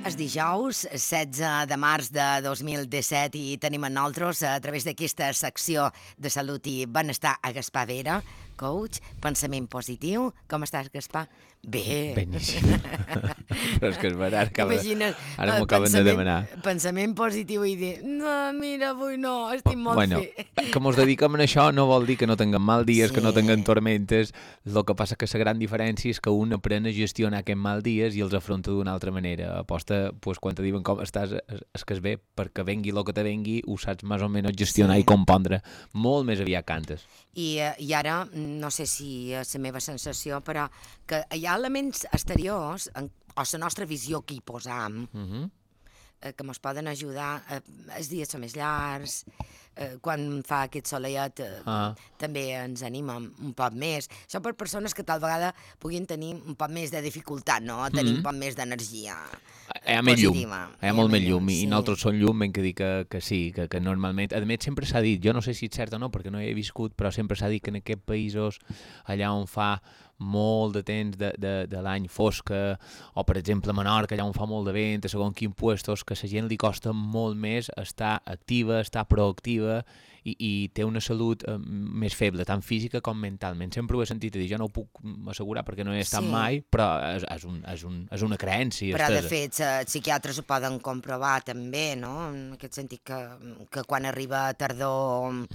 És dijous, 16 de març de 2017 i tenim a nosaltres, a través d'aquesta secció de salut i benestar, a Gaspar Vera, coach, pensament positiu. Com estàs, Gaspar? Bé. Beníssim. Però és que és veritat, ara m'ho acaben de demanar. Pensament positiu i dir, no, mira, avui no, estic molt bé. Que mos dediquem a això no vol dir que no tinguem mal dies, que no tinguem tormentes. El que passa que la gran diferència és que un aprèn a gestionar aquests mal dies i els afronta d'una altra manera. Aposta, pues, quan te diuen com estàs, és que és bé, perquè vengui el que te vengui, ho saps més o menys gestionar i compondre. Molt més aviat cantes. I ara, no sé si és la meva sensació, però que hi ha elements exteriors, o la nostra visió que hi posam, que ens poden ajudar. Els dies són més llargs, quan fa aquest soleiet també ens anima un poc més. Això per persones que tal vegada puguin tenir un poc més de dificultat, no? Tenir un poc més d'energia positiva. Hi ha molt més llum, i nosaltres som llum, ben que dir que sí, que normalment, a més sempre s'ha dit, jo no sé si és cert o no, perquè no hi he viscut, però sempre s'ha dit que en aquests països, allà on fa molt de temps de l'any fosca, o per exemple a Menorca, allà on fa molt de vent, a segons quins puestos, que a la gent li costa molt més estar activa, estar proactiva, i té una salut més feble, tant física com mentalment. Sempre ho he sentit a dir, jo no ho puc assegurar perquè no he estat mai, però és una creença. Però de fet, els psiquiatres ho poden comprovar també, no? En aquest sentit que quan arriba tardor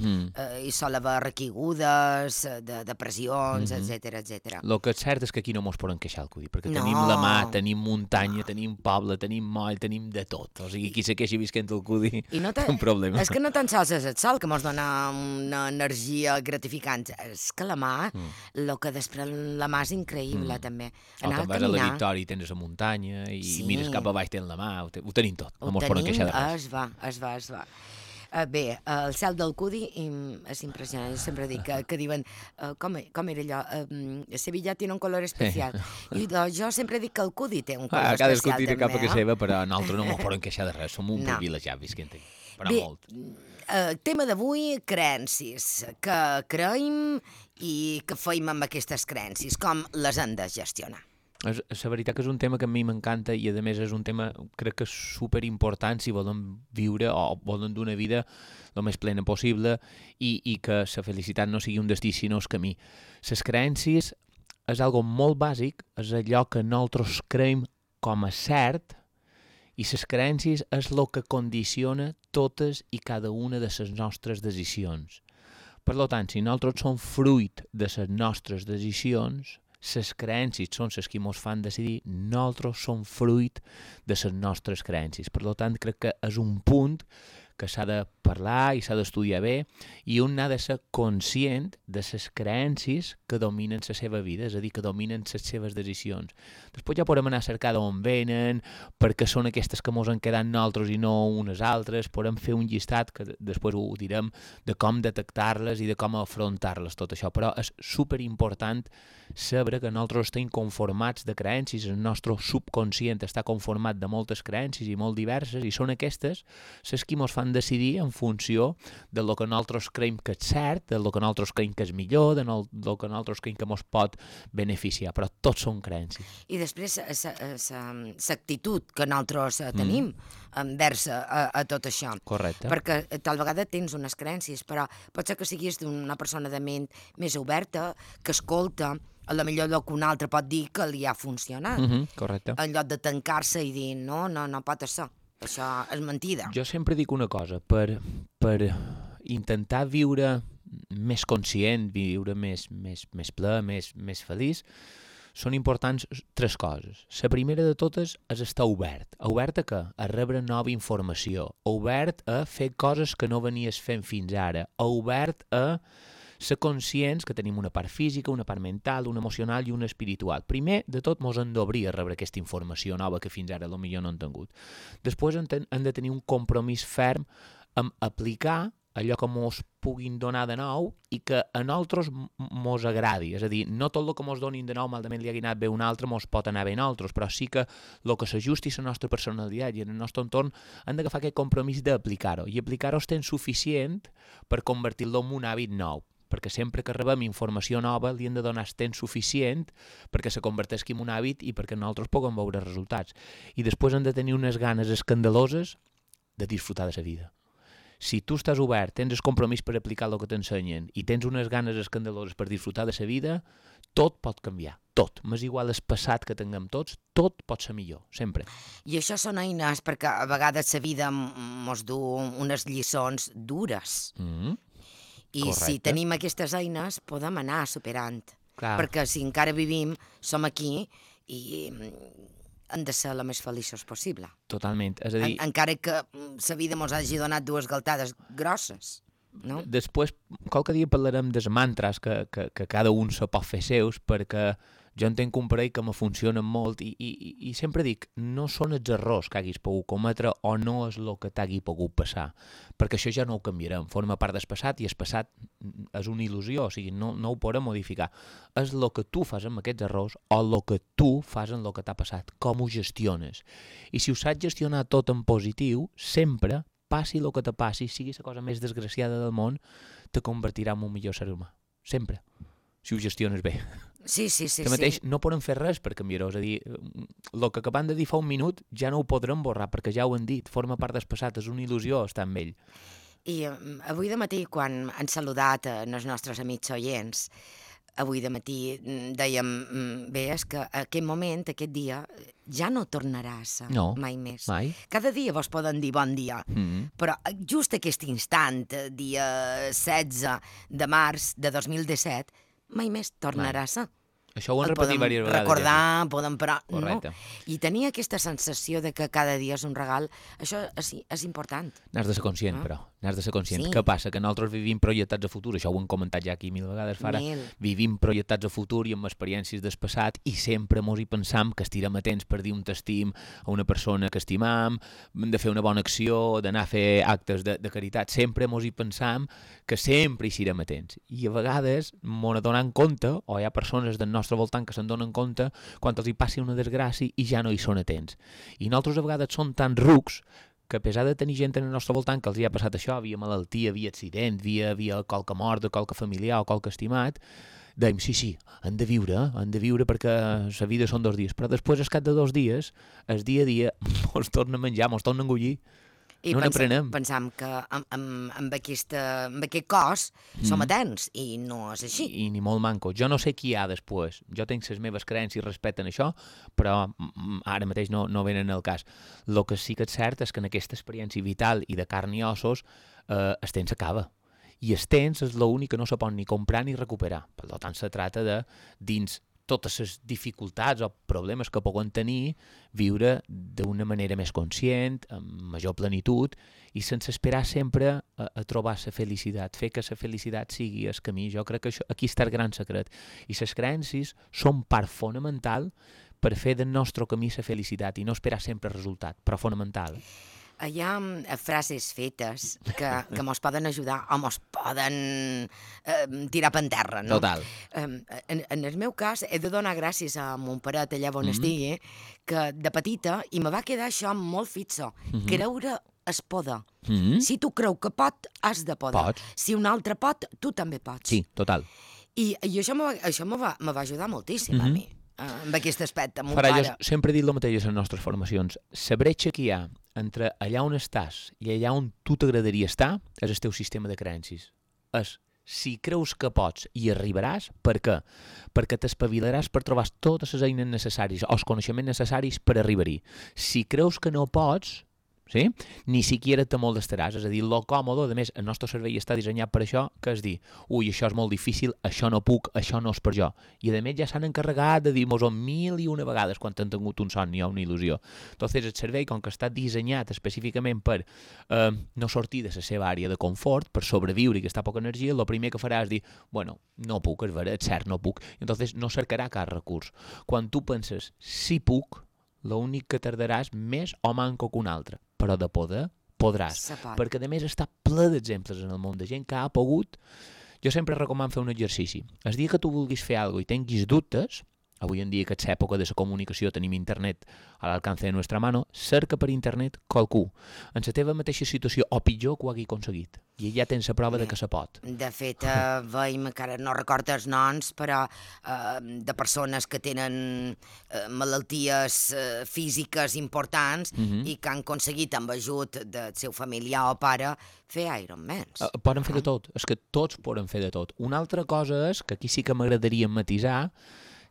hi sol haver recaigudes, depressions, etcètera. El que és cert és que aquí no mos poden queixar el codi, perquè tenim la mà, tenim muntanya, tenim poble, tenim moll, tenim de tot. O sigui, qui se queixi visquent el codi té un problema. És que no tan sols és el sol que mos dona una energia gratificant. És que la mà, el que després la mà és increïble, també. O te'n vas a la Victòria i tens la muntanya i mires cap a baix, tens la mà, ho tenim tot. No mos poden queixar de res. Es va. Bé, el cel del Cudi és impressionant. Jo sempre dic que diuen, com era allò? Sevilla tiene un color especial. I jo sempre dic que el Cudi té un color especial, cadascú tira també. cap a que seva, però nosaltres no mos poden queixar de res. Som un privilegiat visquent aquí. Però molt. Tema d'avui, creences. Que creiem i que feim amb aquestes creences. Com les hem de gestionar? La veritat que és un tema que a mi m'encanta i a més és un tema crec que és superimportant si volen viure o volen dur una vida el més plena possible i que la felicitat no sigui un destí sinó el camí. Les creences és algo molt bàsic, és allò que nosaltres creiem com a cert i les creences és el que condiciona totes i cada una de les nostres decisions. Per tant, si nosaltres som fruit de les nostres decisions, les creences són les que ens fan decidir, nosaltres som fruit de les nostres creences. Per tant, crec que és un punt que s'ha de parlar i s'ha d'estudiar bé i un ha de ser conscient de les creences que dominen la seva vida, és a dir, que dominen les seves decisions. Després ja podem anar a cercar d'on venen, perquè són aquestes que ens han quedat nosaltres i no unes altres, podem fer un llistat, que després ho direm, de com detectar-les i de com afrontar-les, tot això. Però és superimportant saber que nosaltres estem conformats de creences, el nostre subconscient està conformat de moltes creences i molt diverses, i són aquestes les que ens fan decidir en funció del que nosaltres creiem que és cert, del que nosaltres creiem que és millor, del que nosaltres creiem que ens pot beneficiar, però tots són creences. I després l'actitud que nosaltres tenim envers a tot això. Correcte. Perquè tal vegada tens unes creences, però pot ser que siguis una persona de ment més oberta, que escolta, a la millor lloc que un altre pot dir que li ha funcionat. Correcte. En lloc de tancar-se i dir no pot ser. Això és mentida. Jo sempre dic una cosa, per intentar viure més conscient, viure més ple, més feliç, són importants 3 coses. La primera de totes és estar obert. Obert a què? A rebre nova informació. Obert a fer coses que no venies fent fins ara. Obert a ser conscients que tenim una part física, una part mental, una emocional i una espiritual. Primer de tot, ens hem d'obrir a rebre aquesta informació nova que fins ara potser no hem tingut. Després hem de tenir un compromís ferm amb aplicar allò que ens puguin donar de nou i que a nosaltres ens agradi. És a dir, no tot el que ens donin de nou malament li hagi anat bé a un altre ens pot anar bé a nosaltres, però sí que el que s'ajusti a la nostra personalitat i en el nostre entorn hem d'agafar aquest compromís d'aplicar-ho. I aplicar-ho és tan suficient per convertir-lo en un hàbit nou. perquè sempre que rebem informació nova li hem de donar el temps suficient perquè se converteixi en un hàbit i perquè nosaltres puguem veure resultats. I després hem de tenir unes ganes escandaloses de disfrutar de la vida. Si tu estàs obert, tens el compromís per aplicar el que t'ensenyen i tens unes ganes escandaloses per disfrutar de la vida, tot pot canviar, tot. M'és igual el passat que tinguem tots, tot pot ser millor, sempre. I això són eines perquè a vegades la vida mos du unes lliçons dures. I correcte. si tenim aquestes eines, podem anar superant. Clar. Perquè si encara vivim, som aquí i hem de ser la més feliços possible. Totalment. És a dir, Encara que la vida mos hagi donat dues galtades grosses, no? després, qualque dia parlarem dels mantras que cada un se pot fer seus, perquè jo en tinc un parell que me funcionen molt i sempre dic, no són els errors que haguis pogut cometre o no és el que t'hagi pogut passar, perquè això ja no ho canviarem, forma part del passat i el passat és una il·lusió, o sigui, no ho podem modificar. És el que tu fas amb aquests errors o el que tu fas amb el que t'ha passat, com ho gestiones. I si ho saps gestionar tot en positiu, sempre, passi el que te passi, sigui la cosa més desgraciada del món, te convertirà en un millor ser humà. Sempre. Si ho gestiones bé. Sí. Mateix, no podem fer res per canviar-ho. És a dir, el que acabem de dir fa un minut ja no ho podrem borrar, perquè ja ho han dit, forma part del passat, és una il·lusió estar amb ell. I avui de matí, quan han saludat els nostres amics oients, avui de matí dèiem, bé, és que aquest moment, aquest dia, ja no tornarà a ser mai més. Mai. Cada dia vos poden dir bon dia, però just aquest instant, dia 16 de març de 2017, mai més tornarà a ser. Això ho hem repetit diverses vegades. Recordar, podem parar, correcte. No? I tenir aquesta sensació de que cada dia és un regal, això és important. N'has de ser conscient, però. N'has de ser conscient. Sí. Què passa? Que nosaltres vivim projectats a futur, això ho hem comentat ja aquí 1000 vegades, Fara. Vivim projectats a futur i amb experiències del passat i sempre mos hi pensam que estirem atents per dir un t'estim a una persona que estimam, de fer una bona acció, d'anar a fer actes de caritat. Sempre mos hi pensam que sempre hi serem atents. I a vegades mos n'adonem compte, o hi ha persones del nostre voltant que se'n donen compte quan els hi passi una desgràcia i ja no hi són atents. I nosaltres a vegades som tan rucs que a pesar de tenir gent en el nostre voltant que els hi ha passat això, via malaltia, via accident, via qualque mort, qualque familiar o qualque estimat, dèiem, sí, han de viure perquè la vida són 2 dies. Però després, al cap de 2 dies, el dia a dia mos torna a menjar, mos torna a engullir. I no n'aprenem. Pensam que amb aquest cos som atents i no és així. I ni molt manco. Jo no sé qui hi ha després. Jo tinc les meves creences respecte a això, però ara mateix no venen al cas. El que sí que és cert és que en aquesta experiència vital i de carn i ossos el temps s'acaba. I el temps és l'únic que no se pot ni comprar ni recuperar. Per tant, se tracta de, dins totes les dificultats o problemes que poden tenir, viure d'una manera més conscient, amb major plenitud i sense esperar sempre a trobar la felicitat, fer que la felicitat sigui el camí. Jo crec que aquí està el gran secret. I les creences són part fonamental per fer del nostre camí la felicitat i no esperar sempre el resultat, però fonamental. Hi ha frases fetes que mos poden ajudar o mos poden tirar per terra, no? Total. En el meu cas, he de donar gràcies a mon paret allà on estigui, que de petita, i me va quedar això molt fixo, creure es poder. Si tu creu que pot, has de poder. Pots. Si un altre pot, tu també pots. Sí, total. I això me va ajudar moltíssim a mi, amb aquest aspecte, mon Farà, pare. jo sempre he dit el mateix a les nostres formacions. La bretxa que hi ha entre allà on estàs i allà on tu t'agradaria estar és el teu sistema de creences. És si creus que pots i arribaràs, per què? Perquè t'espavilaràs per trobar totes les eines necessàries o els coneixements necessaris per arribar-hi. Si creus que no pots, sí? Ni siquiera te molestaràs, és a dir, lo còmode, a més, el nostre cervell està dissenyat per això, que és dir, ui, això és molt difícil, això no puc, això no és per jo. I a més ja s'han encarregat de dir-nos-ho 1001 vegades quan han tingut un somni o una il·lusió. Entonces el cervell, com que està dissenyat específicament per no sortir de la seva àrea de confort, per sobreviure i que està poca energia, el primer que farà és dir, bueno, no puc, és vera, és cert, no puc. I entonces no cercarà cap recurs. Quan tu penses, sí puc, l'únic que tardaràs més o manco que un altre, però de poder podràs, perquè a més està ple d'exemples en el món de gent que ha pogut. Jo sempre recomano fer un exercici. El dia que tu vulguis fer alguna cosa i tinguis dubtes, avui en dia, que és època de la comunicació, tenim internet a l'alcance de nostra mano, cerca per internet qualcú en la teva mateixa situació o pitjor que ho hagi aconseguit. I ja tens la prova de que se pot. De fet, veiem, que ara no recordo els noms, però de persones que tenen malalties físiques importants i que han aconseguit, amb ajut del seu familiar o pare, fer Ironmans. Poden fer de tot, és que tots poden fer de tot. Una altra cosa és, que aquí sí que m'agradaria matisar,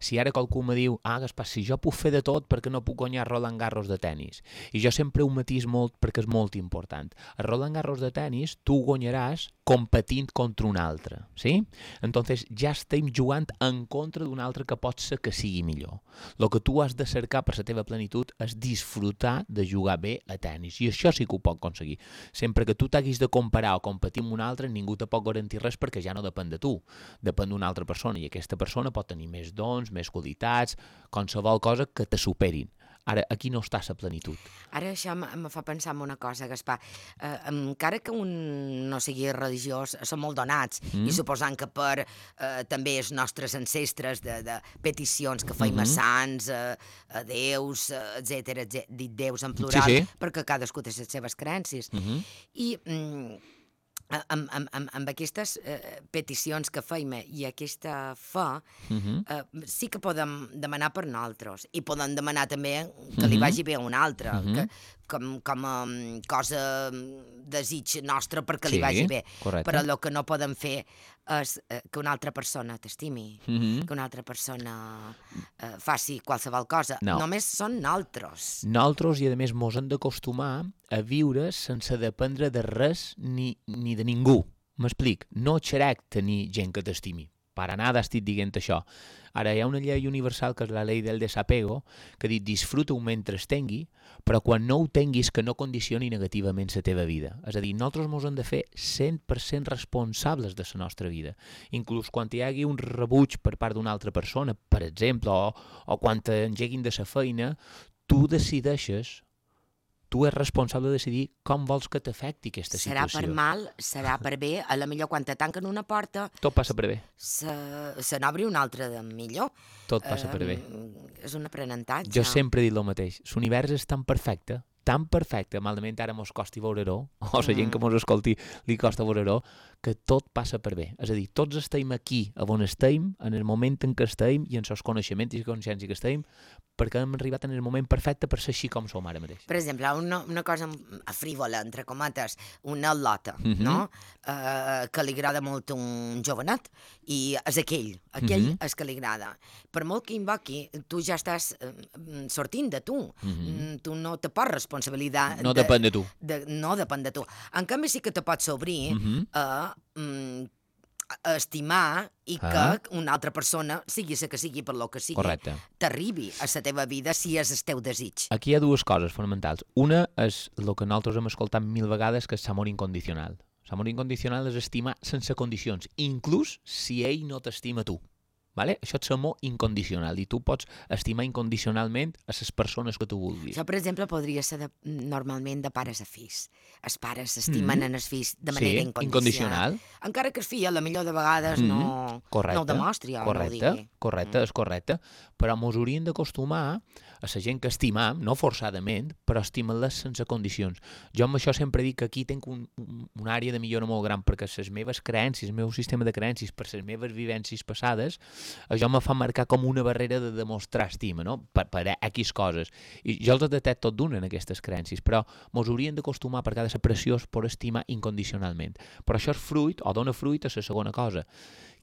si ara qualcú me diu, Gaspar, si jo puc fer de tot, perquè no puc guanyar Roland Garros de tennis? I jo sempre ho matís molt perquè és molt important. A Roland Garros de tennis tu guanyaràs competint contra un altre, sí? Entonces ja estem jugant en contra d'un altre que pot ser que sigui millor. El que tu has de cercar per la teva plenitud és disfrutar de jugar bé a tennis, i això sí que ho pot aconseguir. Sempre que tu t'haguis de comparar o competir amb un altre, ningú te pot garantir res perquè ja no depèn de tu, depèn d'una altra persona, i aquesta persona pot tenir més dons, més qualitats, qualsevol cosa que te superin. Ara, aquí no està la plenitud. Ara això em fa pensar en una cosa, Gaspar. Encara que un no sigui religiós, són molt donats, i suposant que per també els nostres ancestres de peticions que feim a sants, a déus, etc., dit déus en plural, perquè cadascú té les seves creences. I amb aquestes peticions que feim i aquesta fe, sí que podem demanar per nosaltres, i podem demanar també que li vagi bé a un altre, com a cosa desig nostre perquè li vagi bé. Però el que no podem fer és que una altra persona t'estimi, que una altra persona faci qualsevol cosa. Només són nosaltres. Nosaltres, i a més mos hem d'acostumar a viure sense dependre de res ni de ningú. M'explic, no xerec tenir gent que t'estimi. Per nada estic dient això. Ara, hi ha una llei universal, que és la llei del desapego, que diu disfruta-ho mentre es tingui, però quan no ho tinguis que no condicioni negativament la teva vida. És a dir, nosaltres ens hem de fer 100% responsables de la nostra vida. Inclús quan hi hagi un rebuig per part d'una altra persona, per exemple, o quan t'engeguin de la feina, tu decideixes, tu ets responsable de decidir com vols que t'afecti aquesta situació. Serà per mal, serà per bé, a la millor quan te tanquen una porta... Tot passa per bé. Se n'obri una altra de millor. Tot passa per bé. És un aprenentatge. Jo sempre he dit el mateix. L'univers és tan perfecte, malament ara mos costi veure-ho, o la gent que mos escolti li costa veure-ho, que tot passa per bé. És a dir, tots estem aquí, on estem, en el moment en què estem, i en els coneixements i consciència que estem, perquè hem arribat en el moment perfecte per ser així com som ara mateix. Per exemple, una cosa frívola, entre comates, una lota, no? Que li agrada molt un jovenet, i és aquell és que li agrada. Per molt que invoqui, tu ja estàs sortint de tu. Tu no te pots responsabilitat... No depèn de tu. No depèn de tu. En canvi, sí que te pots obrir a estimar i que una altra persona, sigui la que sigui per lo que sigui, t'arribi a la teva vida si és el teu desig. Aquí hi ha dues coses fonamentals. Una és el que nosaltres hem escoltat 1000 vegades, que és l'amor incondicional. L'amor incondicional és estimar sense condicions, inclús si ell no t'estima tu. Vale? Això és l'amor incondicional, i tu pots estimar incondicionalment a les persones que tu vulguis. Això, per exemple, podria ser normalment de pares a fills. Els pares estimen els fills de manera incondicional. Encara que el fill, a la millor de vegades, no ho demostri o no ho digui. Correcte, és correcte. Però ens hauríem d'acostumar a la gent que estimam, no forçadament, però estimar-les sense condicions. Jo amb això sempre dic que aquí tinc una àrea de millora molt gran, perquè les meves creences, el meu sistema de creences, per les meves vivències passades, això me fa marcar com una barrera de demostrar estima, no? Per X coses. I jo els detecto tot d'una en aquestes creences, però ens hauríem d'acostumar, perquè ha de ser preciós, per estimar incondicionalment. Però això és fruit, o dona fruit, a la segona cosa.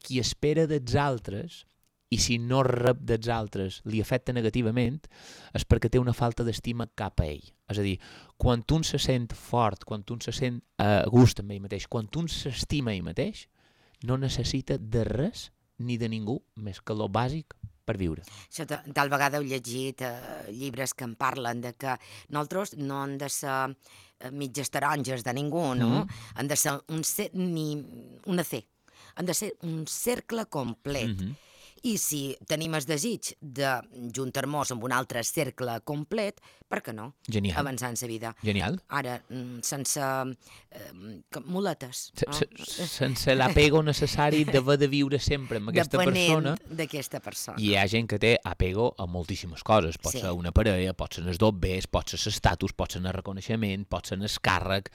Qui espera dels altres, i si no rep dels altres li afecta negativament, és perquè té una falta d'estima cap a ell. És a dir, quan un se sent fort, quan un se sent a gust amb ell mateix, quan un s'estima ell mateix, no necessita de res ni de ningú més que lo bàsic per viure. Això tal vegada heu llegit llibres que en parlen de que nosaltres no hem de ser mitges taronges de ningú, no? Han de ser una C. Han de ser un cercle complet. I si tenim el desig de juntar-nos amb un altre cercle complet, per què no? Genial. Avançar en la vida. Genial. Ara, sense muletes. Sense l'apego necessari d'haver de viure sempre amb aquesta persona. Depenent d'aquesta persona. I hi ha gent que té apego a moltíssimes coses. Pot ser una parella, pot ser els dobbers, pot ser l'estatus, pot ser el reconeixement, pot ser el càrrec.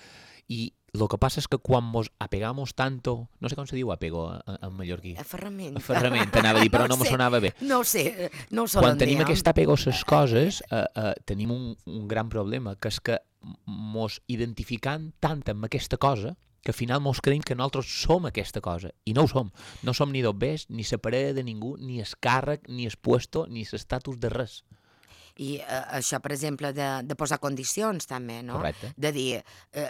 I el que passa és que quan mos apegamos tanto, no sé com se diu apego en mallorquí. Aferrament. Aferrament, anava a dir, però no me sonava bé. No ho sé, no ho sé. Quan tenim aquest apego a les coses, tenim un gran problema, que és que mos identificant tant amb aquesta cosa, que al final mos creiem que nosaltres som aquesta cosa, i no ho som. No som ni dobbers, ni la parella de ningú, ni el càrrec, ni el puesto, ni l'estatus de res. I això, per exemple, de posar condicions, també, no? Correcte. De dir,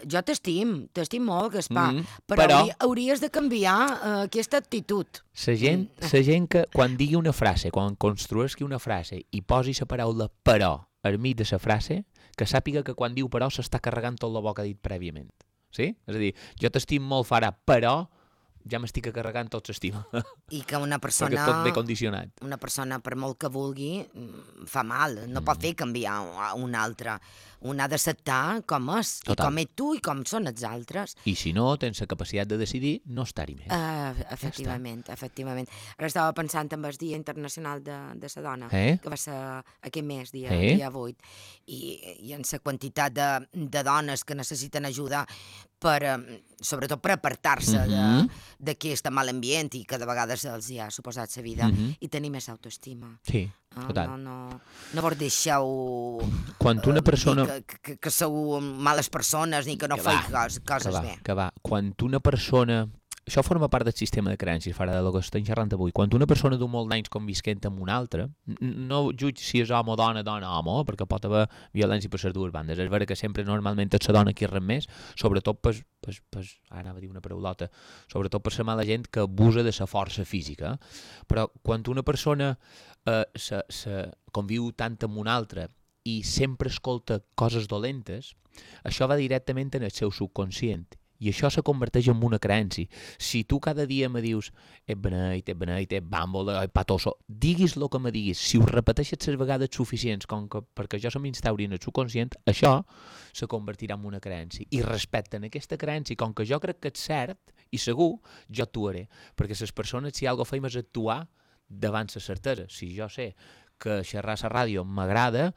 jo t'estim molt, Gaspar, però hauries de canviar aquesta actitud. La gent que quan digui una frase, quan construeixi una frase i posi la paraula però al mig de la frase, que sàpiga que quan diu però s'està carregant tot el que ha dit prèviament. Sí? És a dir, jo t'estim molt, farà, però ja m'estic carregant tot l'estima. I que una persona... Perquè tot ve condicionat. Una persona, per molt que vulgui, fa mal. No pot fer canviar un altre. Un ha d'acceptar com és, i com ets tu, i com són els altres. I si no tens la capacitat de decidir, no estar-hi més. Efectivament. Ara estava pensant en el Dia Internacional de la Dona, que va ser aquest mes, dia 8, i en la quantitat de dones que necessiten ajuda sobretot per apartar-se d'aquest mal ambient i que de vegades els hi ha suposat la vida, i tenir més autoestima. Sí, total. No vos deixeu quan una persona... que sou males persones ni que no feu coses bé. Que va. Quan una persona... Això forma part del sistema de creences, fora del que estem xerrant avui. Quan una persona du molt d'anys convisquent amb una altra, no jutge si és home o dona, home, perquè pot haver violència per les dues bandes. És vera que sempre normalment és la dona qui rep més, sobretot ara anava a dir una paraulota, sobretot per la mala gent que abusa de la força física. Però quan una persona conviu tant amb una altra i sempre escolta coses dolentes, això va directament en el seu subconscient. I això se converteix en una creença. Si tu cada dia me dius ets beneit, ets bàmbol, ets patoso, diguis el que me diguis, si ho repeteixes les vegades suficients perquè jo se m'instauri en el subconscient, això se convertirà en una creença. I respecte en aquesta creença, com que jo crec que és cert i segur, jo actuaré. Perquè les persones, si alguna cosa fem és actuar davant la certesa. Si jo sé que xerrar a la ràdio m'agrada,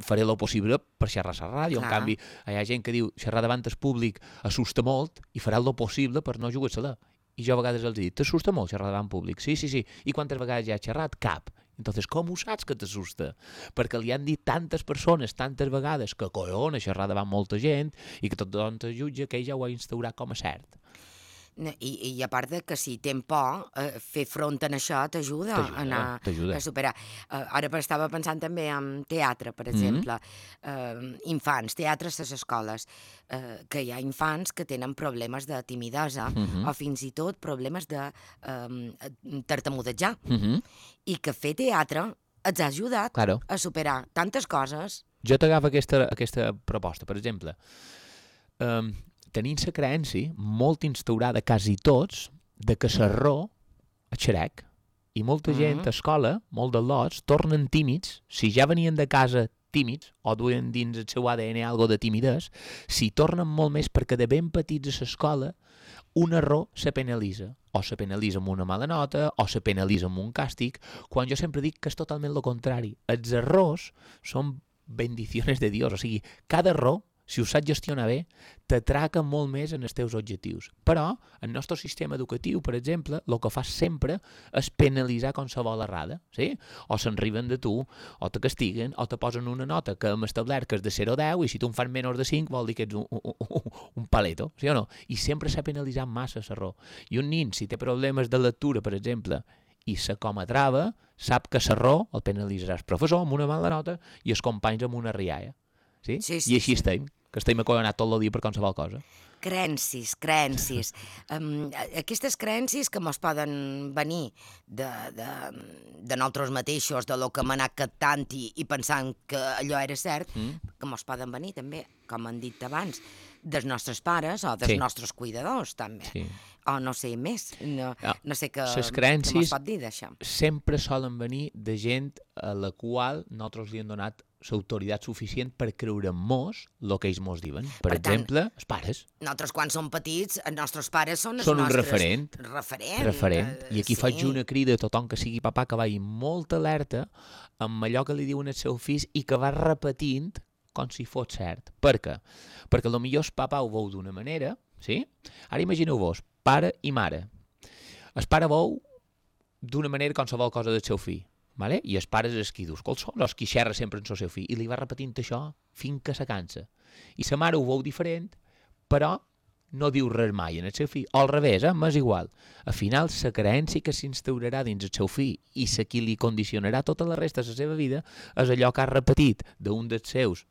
faré el possible per xerrar a la ràdio. En canvi, hi ha gent que diu xerrar davant el públic assusta molt i farà el possible per no jugar-se-la. I jo a vegades els dic, t'assusta molt xerrar davant públic? Sí. I quantes vegades ja has xerrat? Cap. Entonces, com ho saps que t'assusta? Perquè li han dit tantes persones, tantes vegades, que collona xerrar davant molta gent i que tothom te jutja que ell ja ho ha instaurat com a cert. I a part de que si tens por, fer front a això t'ajuda a superar. Ara estava pensant també en teatre, per exemple, infants, teatres a les escoles, que hi ha infants que tenen problemes de timidesa o fins i tot problemes de tartamudejar, i que fer teatre els ha ajudat a superar tantes coses. Jo t'agafo aquesta proposta, per exemple, tenint la creença molt instaurada quasi tots de que l'error és xerec. I molta gent a escola, molt de lots, tornen tímids, si ja venien de casa tímids o duen dins el seu ADN algo de timidesa, si tornen molt més perquè de ben petits a l'escola un error se penalitza. O se penalitza amb una mala nota, o se penalitza amb un càstig, quan jo sempre dic que és totalment el contrari. Els errors són bendiciones de Dios, o sigui, cada error, si ho saps gestionar bé, t'atraca molt més en els teus objectius. Però, el nostre sistema educatiu, per exemple, el que fa sempre és penalitzar qualsevol errada, sí? O se'n riben de tu, o te castiguen, o te posen una nota que hem establert que és de 0 a 10, i si tu en fas menys de 5 vol dir que ets un paleto, sí o no? I sempre s'ha penalitzat massa l'error. I un nin, si té problemes de lectura, per exemple, i se com a trava, sap que l'error el penalitzarà el professor amb una mala nota i els companys amb una rialla. Sí? I així estem. que estem acollonats tot el dia per qualsevol cosa. Creencis. Aquestes creencis que mos poden venir de nosaltres mateixos, de lo que hem anat captant i pensant que allò era cert, que mos poden venir també, com han dit abans, dels nostres pares o dels nostres cuidadors, també. Sí. O no sé més. No sé què mos pot dir d'això. Sempre solen venir de gent a la qual nosaltres li hem donat l'autoritat suficient per creure en mos el que ells mos diuen. Per exemple, els pares. Nosaltres, quan som petits, els nostres pares són els un nostres... Referent. I aquí faig una crida a tothom que sigui papà que vagi molt alerta amb allò que li diuen els seus fills i que va repetint com si fos cert. Per què? Perquè potser el papà ho veu d'una manera, sí? Ara imagineu-vos, pare i mare. El pare veu d'una manera qualsevol cosa del seu fill. Vale? I els pares és qui dius, els qui xerra sempre en el seu fill, i li va repetint això fins que se cansa. I sa mare ho veu diferent, però no diu res mai en el seu fill, o al revés, m'és igual. Al final, la creença que s'instaurarà dins el seu fill i la qui li condicionarà tota la resta de la seva vida és allò que ha repetit d'un dels seus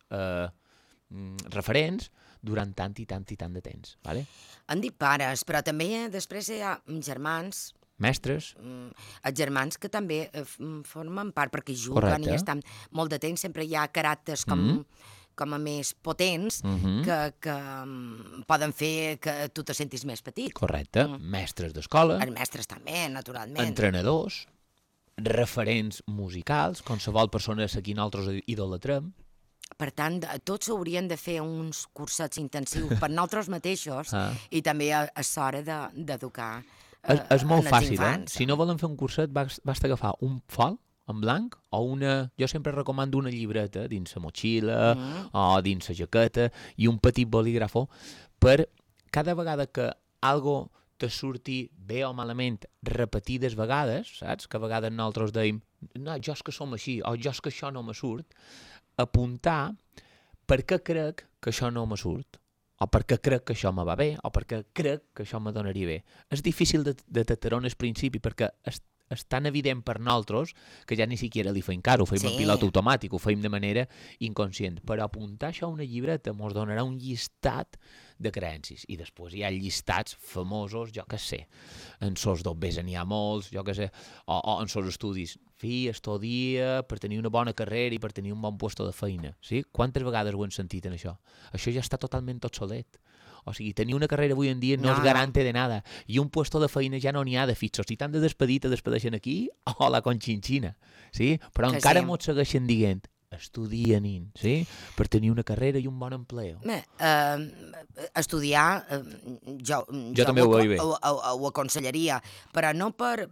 referents durant tant i tant de temps. Vale? Han dit pares, però també després hi ha germans, mestres. Els germans que també formen part, perquè juguen i estan molt de temps, sempre hi ha caràcters com a més potents que poden fer que tu te sentis més petit. Correcte. Mestres d'escola. Els mestres també, naturalment. Entrenadors, referents musicals, qualsevol persona a qui nosaltres idolatrem. Per tant, tots haurien de fer uns cursets intensius per nosaltres mateixos i també és hora d'educar és molt fàcil, Si no volen fer un curset, basta agafar un fol en blanc o jo sempre recomano una llibreta dins la motxilla o dins la jaqueta i un petit bolígrafo per cada vegada que algo te surti bé o malament repetides vegades, saps? Que a vegades nosaltres deim, no, jo és que som així o jo és que això no me surt, apuntar per què crec que això no me surt. O perquè crec que això me va bé, o perquè crec que això me donaria bé. És difícil de detectar al principi perquè és tan evident per nosaltres que ja ni siquiera li fem cara, ho fem en pilot automàtic, ho fem de manera inconscient. Però apuntar això a una llibreta ens donarà un llistat de creences. I després hi ha llistats famosos, jo què sé, en sos dobbers n'hi ha molts, jo què sé, o en sos estudis. Estudia per tenir una bona carrera i per tenir un bon puesto de feina. Sí? Quantes vegades ho hem sentit en això? Això ja està totalment obsolet. O sigui, tenir una carrera avui en dia no és garante de nada. I un puesto de feina ja no n'hi ha de fixos. Si t'han de despedir, te despedeixen aquí o la Conchinchina. Sí? Però que encara mos segueixen dient estudia, nin, sí? Per tenir una carrera i un bon empleo. Estudiar, jo també ho veig bé. Ho aconsellaria, però no per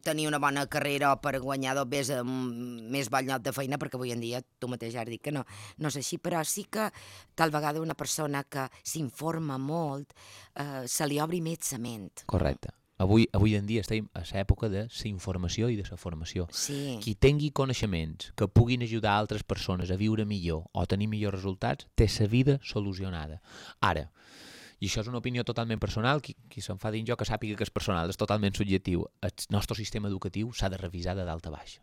tenir una bona carrera o per guanyar més bon lloc de feina, perquè avui en dia, tu mateix has dit que no és així, però sí que tal vegada una persona que s'informa molt se li obri més la ment. Correcte. Avui en dia estem a l'època de la informació i de la formació. Sí. Qui tingui coneixements que puguin ajudar altres persones a viure millor o a tenir millors resultats, té la vida solucionada. Ara, i això és una opinió totalment personal, qui se'n fa dins jo que sàpiga que és personal, és totalment subjectiu. El nostre sistema educatiu s'ha de revisar de dalt a baix.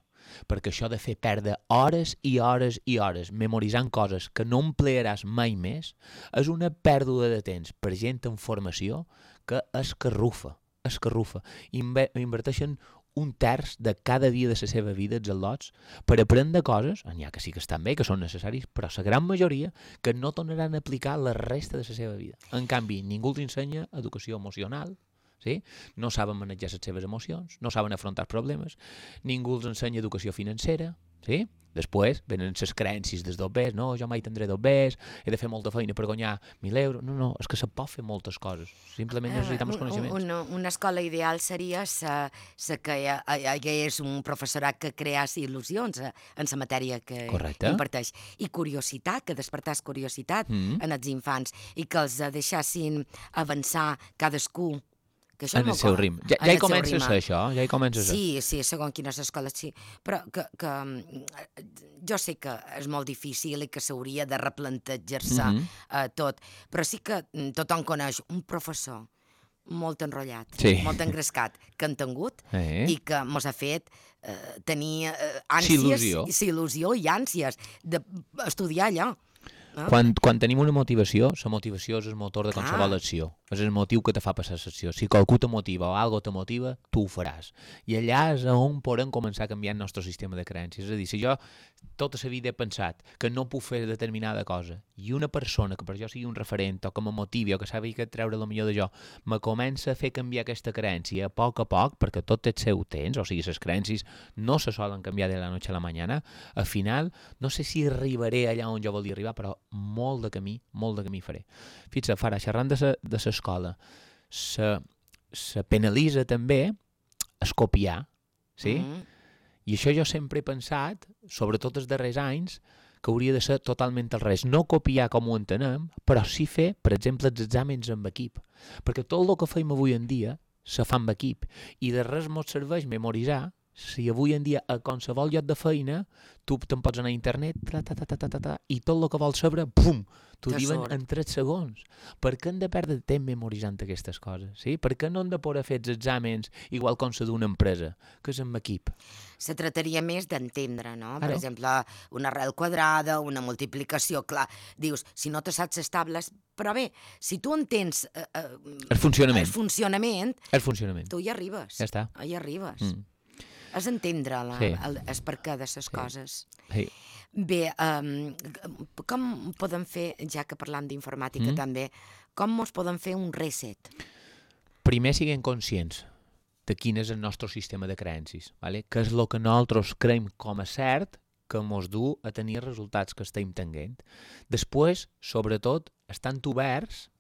Perquè això de fer perdre hores i hores i hores memoritzant coses que no emplearàs mai més és una pèrdua de temps per gent en formació que escarrufa. Inverteixen un terç de cada dia de la seva vida als al·lots per aprendre coses, n'hi ha que sí que estan bé, que són necessaris, però la gran majoria que no tornaran a aplicar la resta de la seva vida. En canvi, ningú els ensenya educació emocional, sí? No saben manejar les seves emocions, no saben afrontar problemes, ningú els ensenya educació financera, sí? Després venen les creences dels dobbers, no, jo mai tindré dobbers, he de fer molta feina per guanyar 1.000 euros. No, és que se pot fer moltes coses. Simplement necessitem els coneixements. Una escola ideal seria que hi hagués un professorat que creés il·lusions en la matèria que imparteix. I curiositat, que despertàs curiositat en els infants i que els deixassin avançar cadascú en el seu ritme. Ja hi comences això? Ja hi comences Sí, segons quines escoles, sí. Però que jo sé que és molt difícil i que s'hauria de replantejar-se tot, però sí que tothom coneix un professor molt enrotllat, molt engrescat, que han tingut i que mos ha fet tenir ànsies, il·lusió i ànsies d'estudiar allò. Quan tenim una motivació, la motivació és el motor de qualsevol acció. És el motiu que te fa passar l'acció. Si qualcú te motiva o algo te motiva, tu ho faràs. I allà és on podem començar a canviar el nostre sistema de creences. És a dir, si jo tota la vida he pensat que no puc fer determinada cosa i una persona que per jo sigui un referent o que me motivi o que sàpiga que treure el millor de jo me comença a fer canviar aquesta creencia a poc, perquè tot té el seu temps, o sigui, les creences no se solen canviar de la noche a la mañana, al final no sé si arribaré allà on jo volia arribar, però molt de camí faré. Fixa't, Farah, xerrant de l'escola, se penalitza també es copiar, sí? I això jo sempre he pensat, sobretot els darrers anys, que hauria de ser totalment al revés. No copiar com ho entenem, però sí fer, per exemple, els exàmens amb equip. Perquè tot el que feim avui en dia se fa amb equip. I de res mos serveix memoritzar si avui en dia a qualsevol lloc de feina tu te'n pots anar a internet i tot el que vols saber, pum, t'ho diuen en 3 segons. Per què hem de perdre temps memoritzant aquestes coses? Sí? Per què no hem de poder fer els exàmens igual com se d'una empresa, que és amb equip? Se trataria més d'entendre, no? Per exemple, una arrel quadrada, una multiplicació, clar, dius, si no te saps les tables, però bé, si tu entens el funcionament, tu hi arribes. Ja està. Hi arribes. És entendre el perquè de les coses. Sí. Bé, com podem fer, ja que parlam d'informàtica també, com ens podem fer un reset? Primer siguem conscients de quin és el nostre sistema de creences, ¿vale? Què és el que nosaltres creiem com a cert que ens du a tenir els resultats que estem tenint. Després, sobretot, estant oberts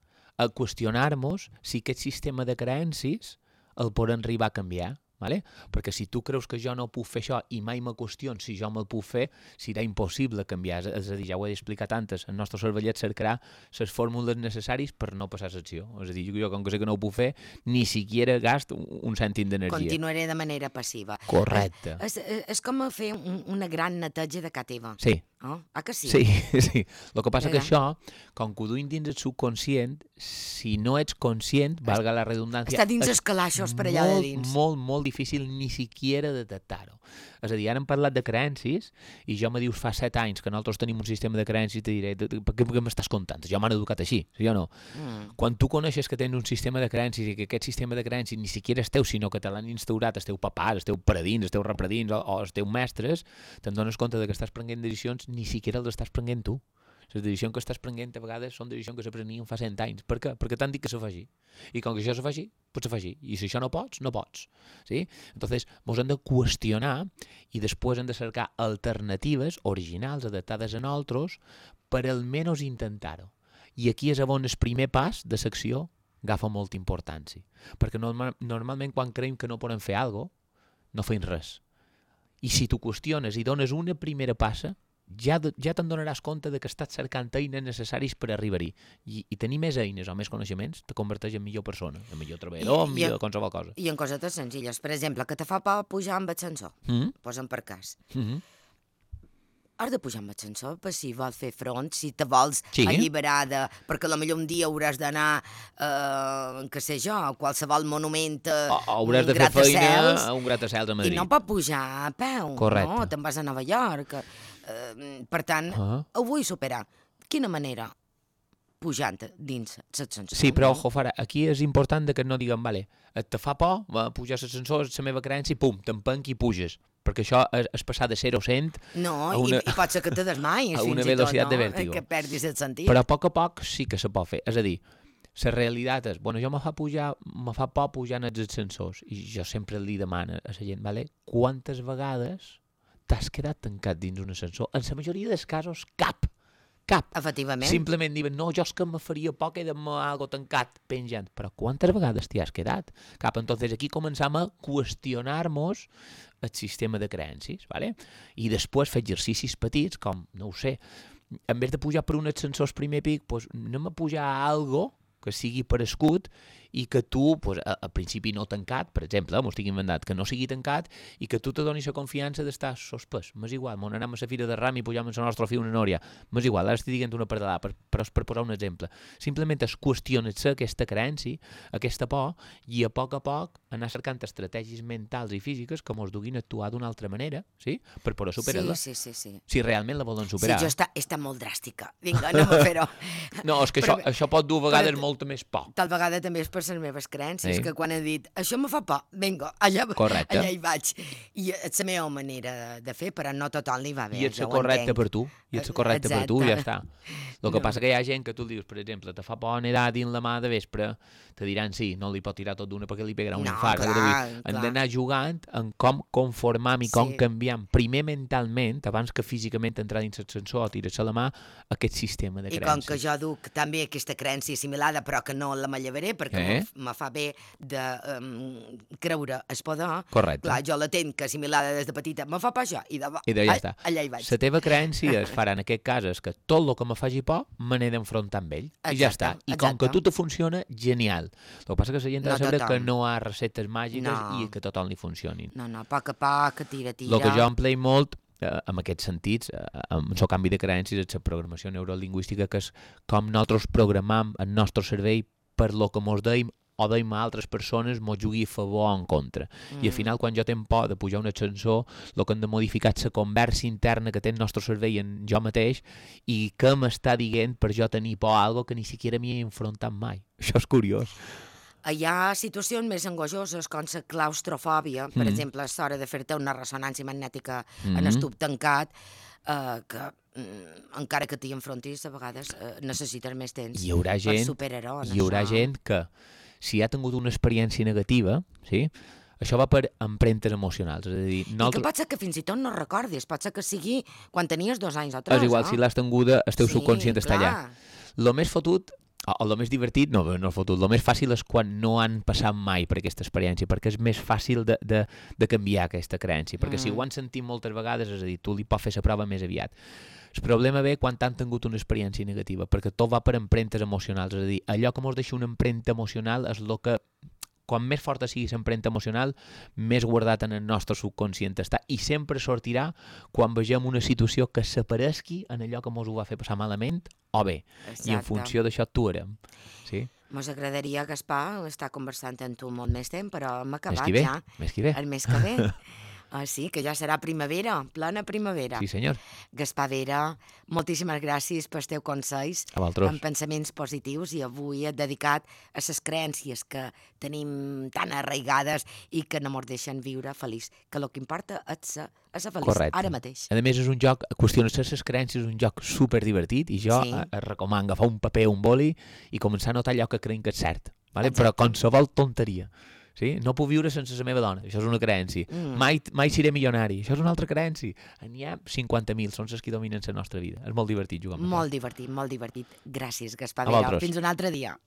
a qüestionar-nos si aquest sistema de creences el podem arribar a canviar. ¿Vale? Perquè si tu creus que jo no puc fer això i mai me qüestions si jo me'l puc fer, serà impossible canviar. És a dir, ja ho he explicat antes, el nostre cervellet cercarà les fórmules necessàries per no passar l'acció. És a dir, jo com que sé que no ho puc fer, ni siquiera gasto un cèntim d'energia. Continuaré de manera passiva. Correcte. És com fer una gran neteja de casa teva. Sí. Oh? Ah, que sí? Sí. El que passa que això, com que ho duim dins el subconscient, si no ets conscient, valga la redundància... Està dins els calaixos per allà de dins. Molt difícil ni siquiera detectar-ho. És a dir, ara hem parlat de creences i jo me dius fa 7 anys que nosaltres tenim un sistema de creences i te diré, per què m'estàs contant? Jo m'han educat així, sí o no? Quan tu coneixes que tens un sistema de creences i que aquest sistema de creences ni siquiera és teu, sinó que te l'han instaurat el teu papà, el teu paradins, els teus repredins o els teus mestres, te'n dones compte que estàs prenent decisions ni siquiera les estàs prenent tu. Les decisions que estàs prenent a vegades són decisions que se prenien fa 100 anys. Per què? Perquè t'han dit que se fa així. I com que això se fa així, pues se fa així. I si això no pots, no pots. ¿Sí? Entonces, ens hem de qüestionar i després hem de cercar alternatives originals, adaptades a nosaltres, per almenys intentar-ho. I aquí és on el primer pas de l'acció agafa molta importància. Perquè normalment quan creiem que no podem fer alguna cosa, no fem res. I si tu qüestiones i dones una primera passa, ja te'n donaràs compte de que estàs cercant eines necessaris per arribar-hi. I tenir més eines o més coneixements te converteix en millor persona, en millor treballador, en millor qualsevol cosa. I en cosetes senzilles. Per exemple, que te fa por pujar amb ascensor. Posa'm per cas. Has de pujar amb ascensor per si vols fer front, si te vols alliberar perquè potser un dia hauràs d'anar, què sé jo, a qualsevol monument, hauràs de fer feina a un gratacels a Madrid. I no pot pujar a peu. Correcte. No, te'n vas a Nova York. Per tant, ho vull superar. Quina manera? Pujant dins l'ascensor. Sí, però, ojo, Farah, aquí és important que no diguem, vale, te fa por pujar a l'ascensor, és la meva creença, i pum, t'empenc i puges. Perquè això és passar de 0 a 100 i pot ser que te desmais a una velocitat de vèrtigo. Que perdis el sentit. Però a poc sí que se pot fer. És a dir, la realitat és, jo me fa por pujar en els ascensors i jo sempre li demano a la gent, vale, quantes vegades t'has quedat tancat dins un ascensor? En la majoria dels casos, cap. Efectivament. Simplement diuen, no, jo és que me faria por quedar-me algo tancat, penjant. Però quantes vegades t'hi has quedat? Cap. Entonces aquí començam a qüestionar-nos el sistema de creences, ¿vale? I després fer exercicis petits, com, no ho sé, en vez de pujar per un ascensor primer pic, pues anem a pujar a algo que sigui per escut i que tu, pues, al principi no tancat, per exemple, m'ho estic inventat, que no sigui tancat i que tu te donis la confiança d'estar sospès. M'és igual, m'on anem a la fira de ram i pujam en la nostra fiu una nòria. M'és igual, ara estic dient una pardalada, però és per posar un exemple. Simplement es qüestiona-se aquesta creença, aquesta por, i a poc anar cercant estratègies mentals i físiques que mos duguin a actuar d'una altra manera, sí? Per poder superar-la. Sí. Si realment la volen superar. Sí, jo està molt dràstica. Vinga, anem a fer-ho. No, és que això pot dur a vegades molta més por. Tal vegada també és per les meves creences, que quan he dit això me fa por, vinga, allà hi vaig. I és la meva manera de fer, però no tothom li va bé. I ets correcte per tu, ja està. El que passa que hi ha gent que tu dius, per exemple, te fa por nedar dins la mà de vespre, te diran sí, no li pot tirar tot d'una perquè li pegarà un infart. Hem d'anar jugant en com conformar i com canviar primer mentalment, abans que físicament entrar dins l'ascensor o tirar-se la mà, aquest sistema de creences. I com que jo duc també aquesta creença assimilada, però que no la manllevaré, perquè me fa bé de creure el poder. Correcte. Clar, jo la tenc assimilada des de petita, me fa por això, i ja està. Allà hi vaig. La teva creença es farà en aquest cas és que tot el que me faci por me n'he d'enfrontar amb ell. I ja està. I com que a tu te funciona, genial. El que passa que la gent ha de saber que no hi ha receptes màgiques i que tothom li funcionin. No, a poc a poc, tira. El que jo empleï molt, en aquests sentits, amb el canvi de creences, és la programació neurolingüística, que és com nosaltres programam el nostre cervell per lo que mos deim o deim a altres persones mos jugui a favor o en contra. I al final, quan jo tenc por de pujar un ascensor, el que hem de modificar és la conversa interna que té el nostre cervell en jo mateix i què m'està dient per jo tenir por a algo que ni siquiera m'hi he enfrontat mai. Això és curiós. Hi ha situacions més angojoses com la claustrofòbia, per exemple, a l'hora de fer-te una ressonància magnètica en el tub tancat, que encara que t'hi enfrontis, a vegades necessites més temps per superar-ho. Hi haurà gent que, si ha tingut una experiència negativa, sí, això va per empremtes emocionals. És a dir, I que pot ser que fins i tot no recordis, pot ser que sigui quan tenies 2 anys o 3. És igual, si l'has tinguda, el teu subconscient està allà. El més fotut, o el més divertit, no fotut, el més fàcil és quan no han passat mai per aquesta experiència, perquè és més fàcil de canviar aquesta creença, perquè si ho han sentit moltes vegades, és a dir, tu li pots fer la prova més aviat. El problema ve quan han tingut una experiència negativa, perquè tot va per empremtes emocionals, és a dir, allò que mos deixa una empremta emocional és el que, quan més forta sigui l'empremta emocional, més guardat en el nostre subconscient està, i sempre sortirà quan vegem una situació que s'aparesqui en allò que mos ho va fer passar malament o bé. Exacte. I en funció d'això actuarem. Sí? Mos agradaria, Gaspar, estar conversant amb tu molt més temps, però hem acabat ja. Més que bé. El mes que ve. Sí, que ja serà primavera, plena primavera. Sí, senyor. Gaspar Vera, moltíssimes gràcies pels teus consells, amb pensaments positius, i avui he dedicat a les creences que tenim tan arraigades i que no ens deixen viure feliç, que el que importa és ser feliç. Correcte. Ara mateix. A més, és un joc, qüestionar-se les creences és un joc superdivertit, i jo et recomano agafar un paper o un boli i començar a notar allò que creiem que és cert, vale? Però qualsevol tonteria. Sí? No puc viure sense la meva dona, això és una creença. Mai seré milionari, això és una altra creença. N'hi ha 50.000, són les que dominen la nostra vida. És molt divertit jugar amb Molt divertit. Gràcies, Gaspar Vera. Fins un altre dia.